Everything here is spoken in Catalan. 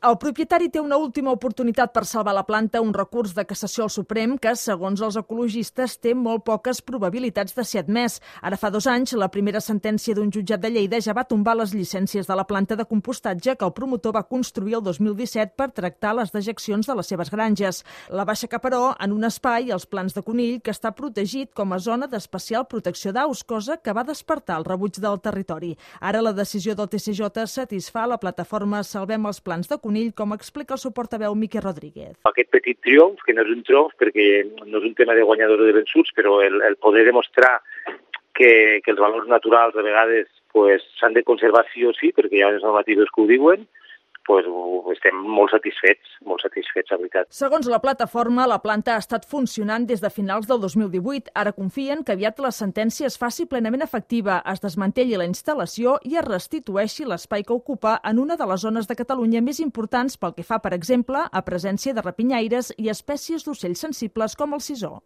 El propietari té una última oportunitat per salvar la planta, un recurs de cassació al Suprem que, segons els ecologistes, té molt poques probabilitats de ser admès. Ara fa 2 anys, la primera sentència d'un jutjat de Lleida ja va tombar les llicències de la planta de compostatge que el promotor va construir el 2017 per tractar les dejeccions de les seves granges. La va aixecar, però, en un espai, als Plans de Conill, que està protegit com a zona d'especial protecció d'aus, cosa que va despertar el rebuig del territori. Ara la decisió del TCJ satisfà la plataforma Salvem els Plans de Conill, com explica el seu portaveu Miquel Rodríguez. Aquest petit triomf, que no és un triomf perquè no és un tema de guanyadors o de vençuts, però el poder demostrar que els valors naturals a vegades s'han de conservar sí o sí, perquè hi ha unes normatives que ho diuen, estem molt satisfets, la veritat. Segons la plataforma, la planta ha estat funcionant des de finals del 2018. Ara confien que aviat la sentència es faci plenament efectiva, es desmantelli la instal·lació i es restitueixi l'espai que ocupa en una de les zones de Catalunya més importants pel que fa, per exemple, a presència de rapinyaires i espècies d'ocells sensibles com el sisó.